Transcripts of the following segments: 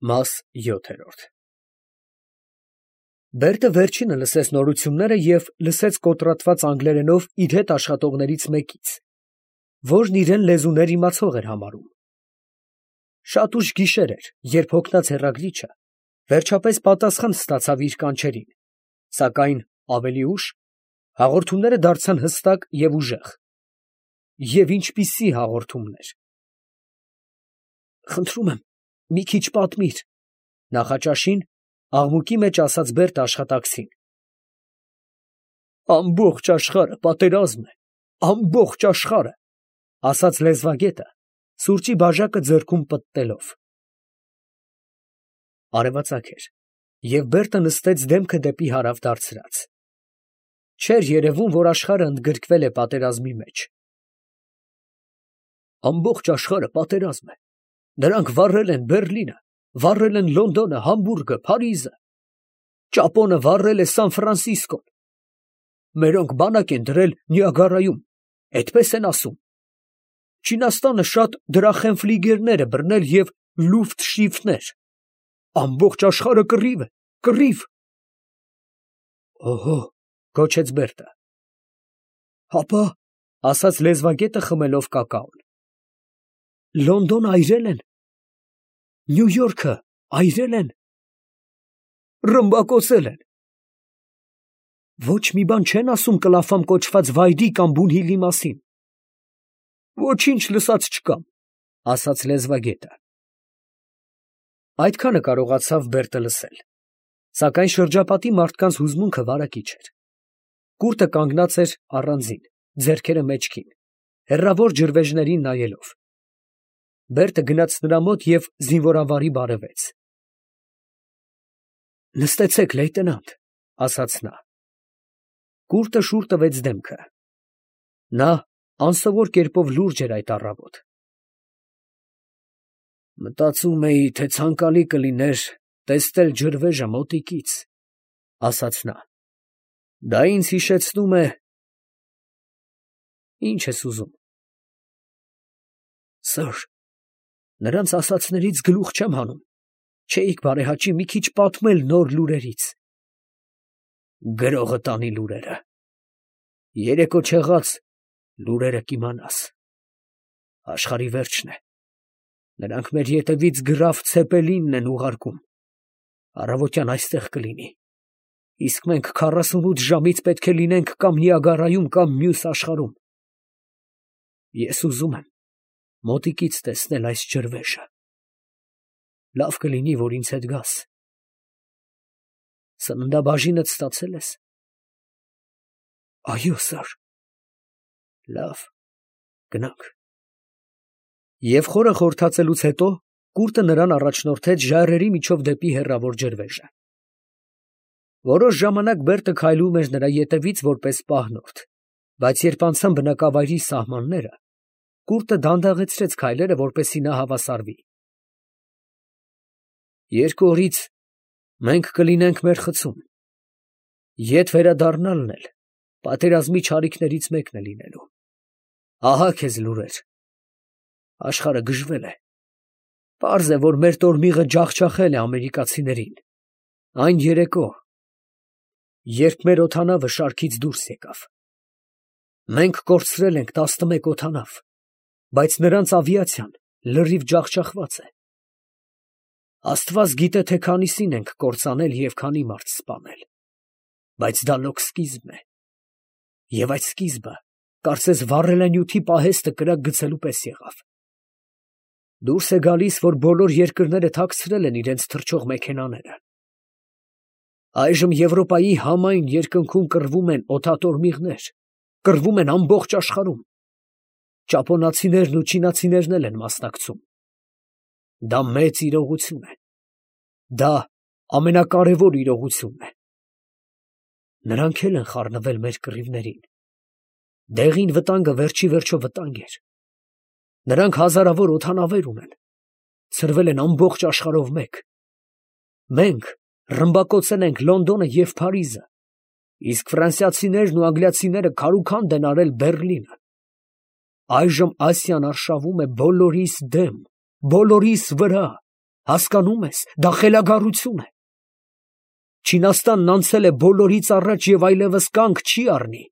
Մաս 7 Բերտը վերջինը լսեց նորությունները և լսեց կոտրատված անգլերենով իր հետ աշխատողներից մեկից, որն իրեն լեզուներ իմացող էր համարում։ Շատ ուշ գիշեր էր, երբ հոգնած հեռագրիչը վերջապես պատասխան ստացավ իր կանչերին, սակայն ավելի ուշ հաղորդումները դարձան հստակ և ուժեղ։ Եվ ինչպիսի հաղորդումներ։ Խնդրում եմ, մի քիչ պատմիր, նախաճաշին աղմուկի մեջ ասաց Բերտը աշխատակցին։ Ամբողջ աշխարհը պատերազմ է, ամբողջ աշխարհը, ասաց լեզվագետը, սուրճի բաժակը ձեռքում պտտելով։ Արևածագ էր, և Բերտը նստեց դեմքը դեպի հարավ դարձրած։ Չէր երևում, որ աշխարհը ընդգրկվել է պատերազմի մեջ։ Ամբողջ աշխարհը պատերազմ է։ Նրանք վառել են Բերլինը, վառել են Լոնդոնը, Համբուրգը, Փարիզը, ճապոնը վառել է Սան Ֆրանսիսկոն։ Մերոնք բանակ են դրել Նիագարայում, էդպես են ասում։ Չինաստանը շատ դրախենֆլիգերներ է բռնել և լուֆտշիֆտներ։ Ամբողջ աշխարհը կռիվ է, կռիվ։ Օհո, գոչեց Բերտը։ Հապա, ասաց լեզվագետը խմելով կակաոն։ Լոնդոնը այրել են, Նյու Յորքը այրել են, ռմբակոծել են։ Ոչ մի բան չեն ասում Կլաֆամ կոչված վայրի կամ Բունհիլի մասին։ Ոչինչ լսած չկամ, ասաց լեզվագետը։ Այդքանը կարողացավ Բերտը լսել, սակայն շրջապատի մարդկանց հուզմունքը վարակիչ էր։ Կուրտը կանգնած էր առանձին, ձեռքերը մեջքին, հեռավոր ջրվեժներին նայելով։ Բերտը գնաց նրա մոտ և զինվորավարի բարևեց։ Նստեցեք, լեյտենանտ, ասաց նա։ Կուրտը շուռ տվեց դեմքը։ Նա անսովոր կերպով լուրջ էր այդ առավոտ։ Մտածում էի, թե ցանկալի կլիներ տեսնել ջրվեժը մոտիկից, ասաց նա։ Դա ինձ հիշեցնում է… Ինչ ես ուզում։ Սըր, նրանց ասածներից գլուխ չեմ հանում, չէիք բարեհաճի մի քիչ պատմել նոր լուրերից։ Գրողը տանի լուրերը։ Երեկո չեղած լուրերը կիմանաս։ Աշխարհի վերջն է։ Նրանք մեր ետևից գրաֆ Ցեպելինն են ուղարկում։ Առավոտյան այստեղ կլինի։ Իսկ մենք 48 ժամից պետք է լինենք կամ Նիագարայում, կամ մյուս աշխարհում։ Ես ուզում եմ մոտիկից տեսնել այս ջրվեժը։ Լավ կլինի, որ ինձ հետ գաս։ Սննդաբաժինդ ստացե՞լ ես։ Այո, սըր։ Լավ, գնանք։ Եվ խորը խորհրդածելուց հետո կուրտը նրան առաջնորդեց ժայռերի միջով դեպի հեռավոր ջրվեժը։ Որոշ ժամանակ Բերտը քայլում էր նրա ետևից որպես պահնորդ, բայց երբ անցան բնակավայրի սահմանները, կուրտը դանդաղեցրեց քայլերը, որպեսզի նա հավասարվի։ 2 օրից մենք կլինենք մեր խցում։ Ետ վերադառնալն էլ պատերազմի չարիքներից մեկն է լինելու։ Ահա քեզ լուրեր։ Աշխարհը գժվել է։ Պարզ է, որ մեր տորմիղը ջախջախել է ամերիկացիներին։ Այն երեկո, երբ մեր օդանավը շարքից դուրս եկավ։ Մենք կորցրել ենք 11 օդանավ, բայց նրանց ավիացիան լրիվ ջախջախված է։ Աստված գիտե, թե քանիսին ենք կործանել և քանի մարդ սպանել, բայց դա լոկ սկիզբն է։ Եվ այդ սկիզբը, կարծես վառելանյութի պահեստը կրակ գցելու պես եղավ։ Դուրս է գալիս, որ բոլոր երկրները թաքցրել են իրենց թռչող մեքենաները։ Այժմ Եվրոպայի համայն երկնքում կռվում են օդատորմիղներ, կռվում են ամբողջ աշխարհում։ Ճապոնացիներն ու չինացիներն էլ են մասնակցում։ Դա մեծ իրողություն է։ Դա ամենակարևոր իրողությունն է։ Նրանք էլ են խառնվել մեր կռիվներին։ Դեղին վտանգը վերջի վերջո վտանգ էր։ Նրանք հազարավոր օդանավեր ունեն։ Ցրվել են ամբողջ աշխարհով մեկ։ Մենք ռմբակոծել ենք Լոնդոնը և Փարիզը, իսկ ֆրանսիացիներն ու անգլիացիները քարուքանդ են արել Բերլինը։ Այժմ Ասիան արշավում է բոլորիս դեմ, բոլորիս վրա։ Հասկանում ես, դա խելագարություն է։ Չինաստանն անցել է բոլորից առաջ և այլևս կանգ չի առնի։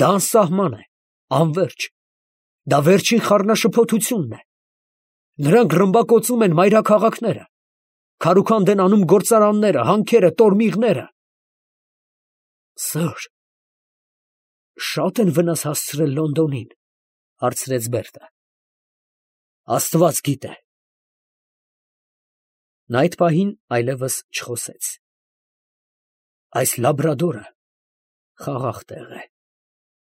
Դա անսահման է, անվերջ։ Դա վերջին խառնաշփոթությունն է։ Նրանք ռմբակոծում են մայրաքաղաքները, քարուքանդ են անում գործարանները, հանքերը, տորմիղները։ Սըր, շատ են վնաս հասցրել Լոնդոնին, հարցրեց Բերտը։ Աստված գիտե։ Նա այդ պահին այլևս չխոսեց։ Այս Լաբրադորը խաղաղ տեղ է։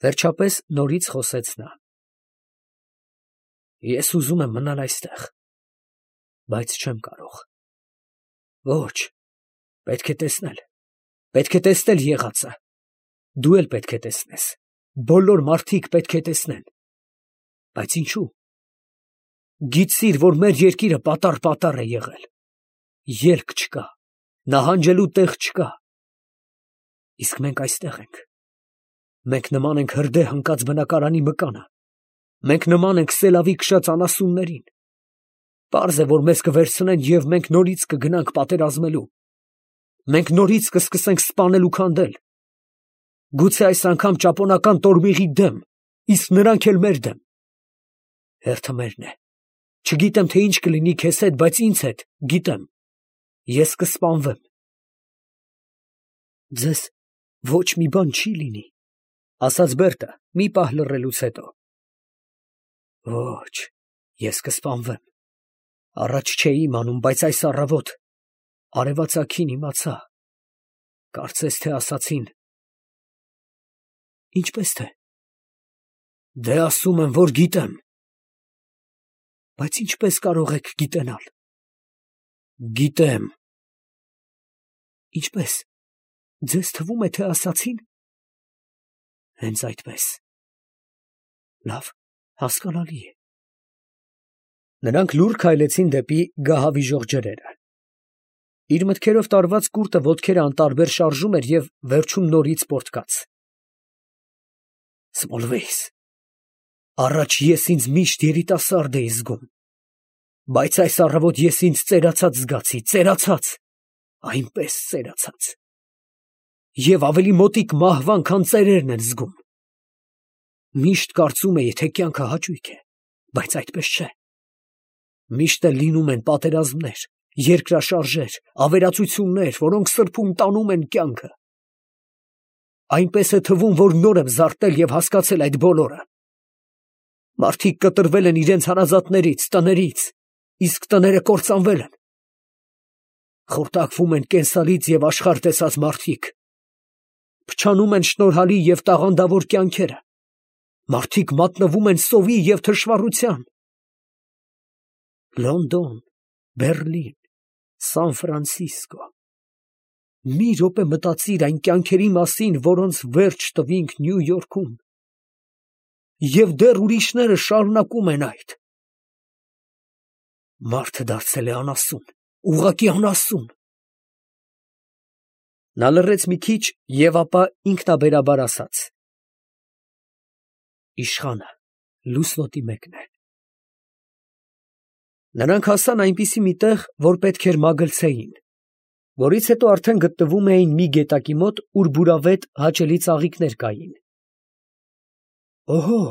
Վերջապես նորից խոսեց նա։ Ես ուզում եմ մնալ այստեղ, բայց չեմ կարող։ Ոչ, պետք է տեսնել եղածը։ Դու էլ պետք է տեսնես։ Բոլոր մարդիկ պետք է տեսնեն։ Բայց ինչու։ Գիտիր, որ մեր երկիրը պատառ է եղել։ Ելք չկա, նահանջելու տեղ չկա։ Իսկ մենք այստեղ ենք։ Մենք նման ենք հրդեհ ընկած բնակարանի մկանը։ Մենք նման ենք սելավի քշած անասուններին։ Պարզ է, որ մեզ կվերցնեն և մենք նորից կգնանք պատերազմելու։ Մենք նորից կսկսենք սպանել ու քանդել։ Գուցե այս անգամ ճապոնական տորմիղի դեմ, իսկ նրանք էլ մեր դեմ։ Հերթը մերն է։ Չգիտեմ, թե ինչ կլինի քեզ հետ, բայց ինձ հետ գիտեմ։ Ես կսպանվեմ։ Ձեզ ոչ մի բան չի լինի, ասաց Բերտը մի պահ լռելուց հետո։ Ոչ, ես կսպանվեմ։ Առաջ չէի իմանում, բայց այս առավոտ արևածագին իմացա։ Կարծես թե ասացին։ Ինչպես թե։ Դե ասում եմ, որ գիտեմ։ Բայց ինչպես կարող եք գիտենալ։ Գիտեմ։ Ինչպես։ Ձեզ թվում է, թե ասացին։ Հենց այդպես։ Լավ, հասկանալի է։ Նրանք լուռ քայլեցին դեպի գահավիժող ջրերը։ Իր մտքերով տարված կուրտը ոտքերը անտարբեր շարժում էր և վերջում նորից պոռթկաց։ Սմոլվեյս, առաջ ես ինձ միշտ երիտասարդ էի զգում, բայց այս առավոտ ես ինձ ծերացած զգացի, ծերացած, այնպես ծերացած։ Եվ ավելի մոտիկ մահվան, քան ծերերն են զգում։ Միշտ կարծում էի, թե կյանքը հաճույք է, բայց այդպես չէ։ Միշտ էլ լինում են պատերազմներ, երկրաշարժեր, ավերածություններ, որոնք սրբում տանում են կյանքը։ Այնպես է թվում, որ նոր եմ զարթել և հասկացել այդ բոլորը։ Մարդիկ կտրվել են իրենց հարազատներից, տներից, իսկ տները կործանվել են։ Խորտակվում են կենսալից և աշխարհ տեսած մարդիկ։ Փչանում են շնորհալի և տաղանդավոր կյանքերը։ Մարդիկ մատնվում են սովի և թշվառության։ Լոնդոն, Բեռլին, Սան Ֆրանցիսկո։ Մի րոպե մտածիր այն կյանքերի մասին, որոնց վերջ տվինք Նյու Յորքում։ Եվ դեռ ուրիշները շարունակում են այդ։ Մարդը դարձել է անասուն, ուղղակի անասուն։ Նա լռեց մի քիչ և ապա ինքնաբերաբար ասաց. Իշխանը լուսնոտի մեկն է։ Նրանք հասան այնպիսի մի տեղ, որ պետք էր մագլցեին, որից հետո արդեն գտնվում էին մի գետակի մոտ, ուր բուրավետ հաճելի ծաղիկներ կային։ Օհո,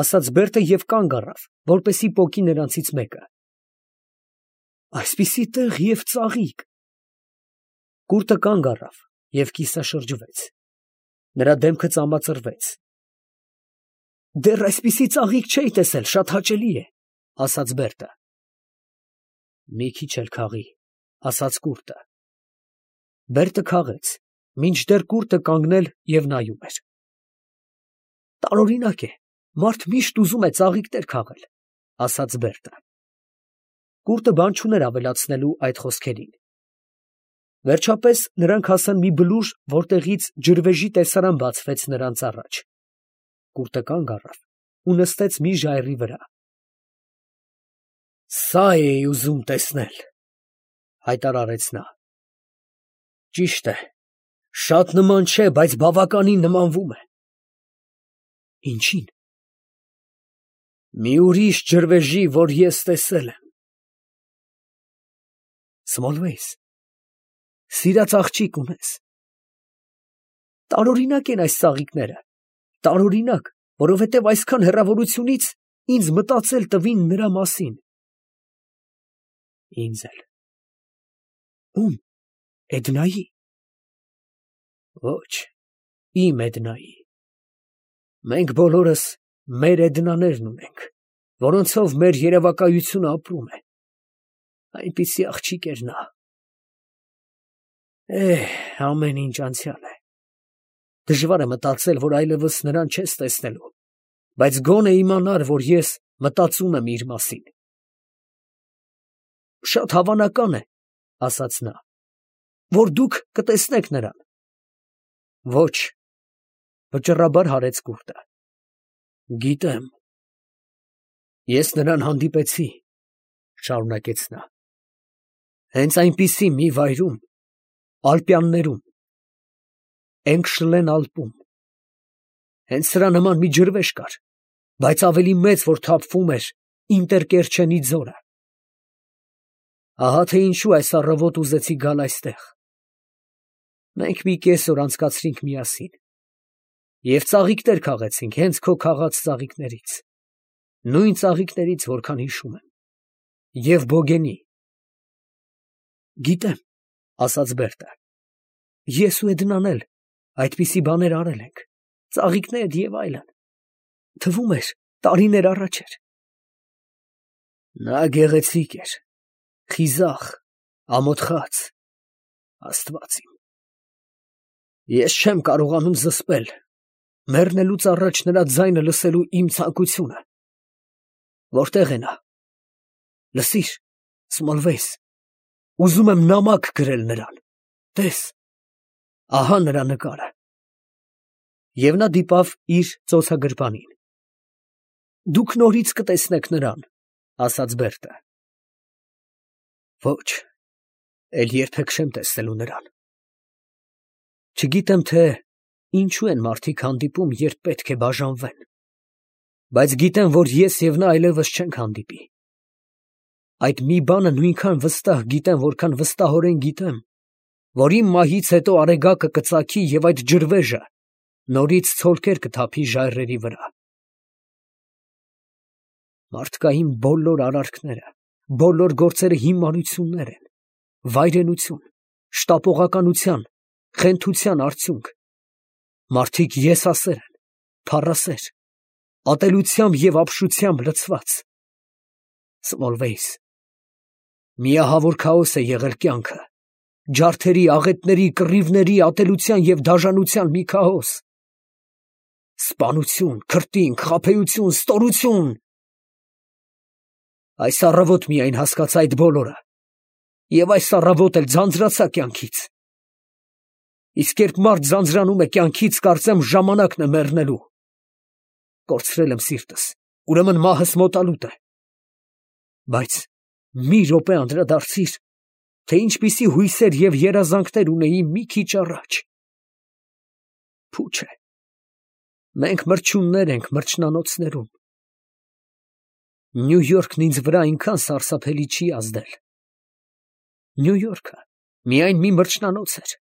ասաց Բերտը և կանգ առավ, որպեսզի պոկի նրանցից մեկը։ Այսպիսի տեղ և ծաղիկ։ Կուրտը կանգ առավ և կիսաշրջվեց։ Նրա դեմքը ծամածրվեց։ Դեռ այսպիսի ծաղիկ չէի տեսել, շատ հաճելի է, ասաց Բերտը։ Մի քիչ էլ քաղի, ասաց կուրտը։ Բերտը քաղեց, մինչդեռ կուրտը կանգնել և նայում էր։ Տարօրինակ է, մարդ միշտ ուզում է ծաղիկներ քաղել, ասաց Բերտը։ Կուրտը բան չուներ ավելացնելու այդ խոսքերին։ Վերջապես նրանք հասան մի բլուր, որտեղից ջրվեժի տեսարան բացվեց նրանց առաջ։ Կուրտը կանգ առավ ու նստեց մի ժայռի վրա։ Սա էի ուզում տեսնել, հայտարարեց նա։ Ճիշտ է, շատ նման չէ, բայց բավականին նմանվում է։ Ինչի՞ն։ Մի ուրիշ ջրվեժի, որ ես տեսել եմ։ Սմոլվեյս, սիրած աղջիկ ունես։ Տարօրինակ են այս ծաղիկները, տարօրինակ, որովհետև այսքան հեռավորությունից ինձ մտածել տվին նրա մասին։ Ինձ էլ։ Ում։ Էդնայի։ Ոչ, իմ Էդնայի։ Մենք բոլորս մեր Էդնաներն ունենք, որոնցով մեր երևակայությունը ապրում է։ Այնպիսի աղջիկ էր նա։ Ամեն ինչ անցյալ է։ Դժվար է մտածել, որ այլևս նրան չես տեսնելու, բայց գոնե իմանար, որ ես մտածում եմ իր մասին։ Շատ հավանական է, ասաց նա, որ դուք կտեսնեք նրան։ Ոչ, վճռաբար հարեց կուրտը։ Գիտեմ։ Ես նրան հանդիպեցի, շարունակեց նա։ Հենց այնպիսի մի վայրում, Ալպյաններում, Էնգշլեն Ալպում։ Հենց սրա նման մի ջրվեժ կար, բայց ավելի մեծ, որ թափվում էր Ինտերկերչենի ձորը։ Ահա թե ինչու այս առավոտ ուզեցի գալ այստեղ։ Մենք մի կեսօր անցկացրինք միասին և ծաղիկներ քաղեցինք հենց քո քաղած ծաղիկներից, նույն ծաղիկներից, որքան հիշում եմ, և Բոգենի։ Գիտեմ, ասաց Բերտը, ես ու Էդնան էլ այդպիսի բաներ արել ենք, ծաղիկներ և այլն, թվում էր տարիներ առաջ էր։ Նա գեղեցիկ էր, խիզախ, ամոթխած, Աստված իմ։ Ես չեմ կարողանում զսպել մեռնելուց առաջ նրա ձայնը լսելու իմ ցանկությունը։ Որտե՞ղ է նա։ Լսիր, Սմոլվեյս, ուզում եմ նամակ գրել նրան, տես, ահա նրա նկարը։ Եվ նա դիպավ իր ծոցագրպանին։ Դուք նորից կտեսնեք նրան, ասաց Բերտը։ Ոչ, էլ երբեք չեմ տեսնելու նրան։ Չգիտեմ, թե ինչու են մարդիկ հանդիպում, երբ պետք է բաժանվեն, բայց գիտեմ, որ ես և նա այլևս չենք հանդիպի։ Այդ մի բանը նույնքան վստահ գիտեմ, որքան վստահորեն գիտեմ, որ իմ մահից հետո արեգակը կծագի և այդ ջրվեժը նորից ցոլքեր կթափի ժայռերի վրա։ Մարդկային բոլոր արարքները, բոլոր գործերը հիմարություններ են, վայրենություն, շտապողականության, խենթության արդյունք։ Մարդիկ եսասեր են, փառասեր, ատելությամբ և ապշությամբ լցված։ Սմոլվեյս, միահավոր քաոս է եղել կյանքը, ջարդերի, աղետների, կռիվների, ատելության և դաժանության մի քաոս։ Սպանություն, քրտինք, խաբեություն, ստորություն։ Այս առավոտ միայն հասկացա այդ բոլորը, և այս առավոտ էլ ձանձրացա կյանքից։ Իսկ երբ մարդ ձանձրանում է կյանքից, կարծեմ ժամանակն է մեռնելու։ Կորցրել եմ սիրտս, ուրեմն մահս մոտալուտ է։ Բայց մի րոպե անդրադարձիր, թե ինչպիսի հույսեր և երազանքներ ունեի մի քիչ առաջ։ Փուչ է։ Մենք մրջյուններ ենք մրջնանոցներում։ Նյու Յորքն ինձ վրա այնքան սարսափելի չի ազդել։ Նյու Յորքը միայն մի մրջնանոց էր,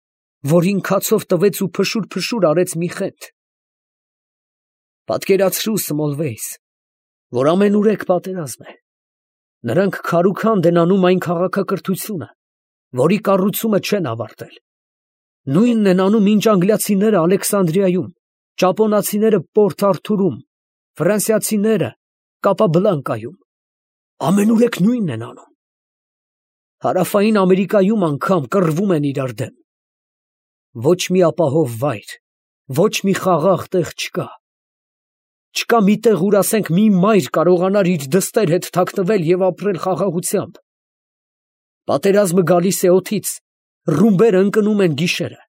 որին քացով տվեց ու փշուր արեց մի խենթ։ Պատկերացրու, Սմոլվեյս, որ ամենուրեք պատերազմ է։ Նրանք քարուքանդ են անում այն քաղաքակրթությունը, որի կառուցումը չեն ավարտել։ Նույնն են անում, ինչ անգլիացիները Ալեքսանդրիայում, ճապոնացիները Պորտ Արթուրում, ֆրանսիացիները Կապաբլանկայում։ Ամենուրեք նույնն են անում։ Հարավային Ամերիկայում անգամ կռվում են իրար դեմ։ Ոչ մի ապահով վայր, ոչ մի խաղաղ տեղ չկա։ Չկա մի տեղ, ուր ասենք մի մայր կարողանար իր դստեր հետ թաքնվել և ապրել խաղաղությամբ։ Պատերազմը գալիս է օդից, ռումբերը ընկնում են գիշերը։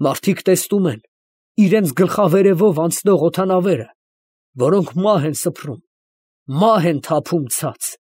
Մարդիկ տեսնում են իրենց գլխավերևով անցնող օդանավերը, որոնք մահ են սփռում, մահ են թափում ցած։